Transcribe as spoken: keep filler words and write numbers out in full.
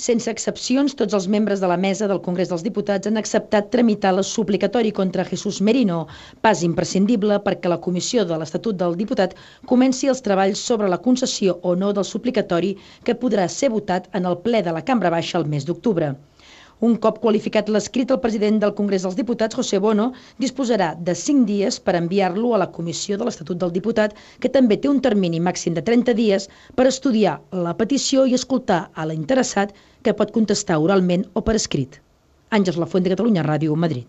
Sense excepcions, tots els membres de la mesa del Congrés dels Diputats han acceptat tramitar el suplicatori contra Jesús Merino, pas imprescindible perquè la Comissió de l'Estatut del Diputat comenci els treballs sobre la concessió o no del suplicatori que podrà ser votat en el ple de la Cambra Baixa el mes d'octubre. Un cop qualificat l'escrit, el president del Congrés dels Diputats, José Bono, disposarà de cinc dies per enviar-lo a la Comissió de l'Estatut del Diputat, que també té un termini màxim de trenta dies per estudiar la petició i escoltar a l'interessat, que pot contestar oralment o per escrit. Àngels Lafuente, Catalunya Ràdio, Madrid.